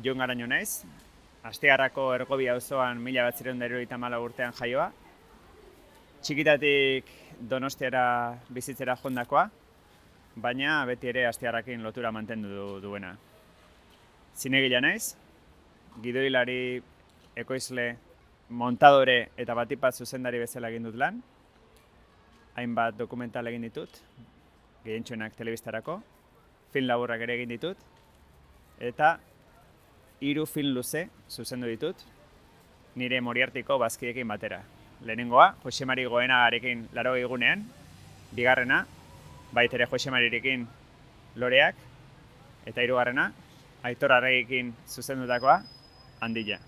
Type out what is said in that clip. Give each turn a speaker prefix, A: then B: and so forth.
A: Jon Garaño naiz, Astigarrako Ergobi auzoan 1974 urtean jaioa. Txikitatik Donostiara bizitzera joandakoa, baina beti ere Astigarrakin lotura mantendu duena. Zinegila naiz, gidoilari, ekoizle, montadore eta batipat zuzendari bezala egin dut lan. Hainbat dokumental egin ditut, gehientsuenak telebistarako, film laburrak ere egin ditut, eta 3 film luze zuzendu ditut, nire Moriartiko bazkiekin batera. Lehenengoa, Jose Mari Goenagarekin 80 egunean, bigarrena, baitere Jose Marirekin Loreak, eta hirugarrena, Aitor Arregiekin zuzendutakoa, Handia.